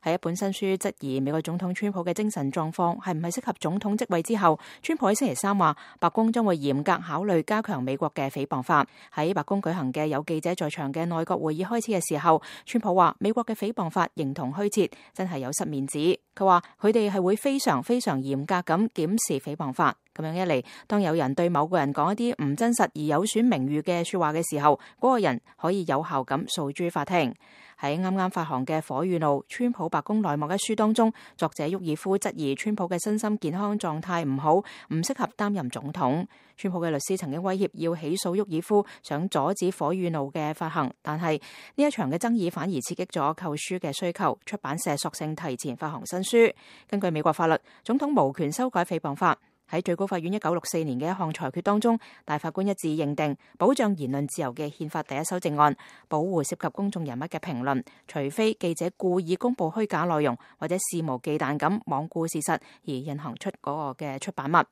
喺一本新書質疑美國總統川普嘅精神狀況係唔係適合總統職位之後，川普喺星期三話，白宮將會嚴格考慮加強美國嘅誹謗法。喺白宮舉行嘅有記者在場嘅內閣會議開始嘅時候，川普話美國嘅誹謗法形同虛設，真係有失面子。佢話佢哋係會非常嚴格咁檢視誹謗法。咁樣一嚟，當有人對某個人講一啲唔真實而有損名譽嘅說話嘅時候，嗰個人可以有效咁訴諸法庭。喺啱啱發行嘅《火與怒：川普白宮內幕》一書當中，作者沃爾夫質疑川普嘅身心健康狀態唔好，唔適合擔任總統。川普嘅律師曾經威脅要起訴沃爾夫，想阻止《火與怒》嘅發行，但係呢一場嘅爭議反而刺激咗購書嘅需求，出版社索性提前發行新書。根據美國法律，總統無權修改誹謗法。喺最高法院1964年嘅一項裁決當中，大法官一致認定保障言論自由嘅憲法第一修正案，保護涉及公眾人物嘅評論，除非記者故意公布虛假內容或者肆無忌憚咁罔顧事實而印行出嗰個嘅出版物。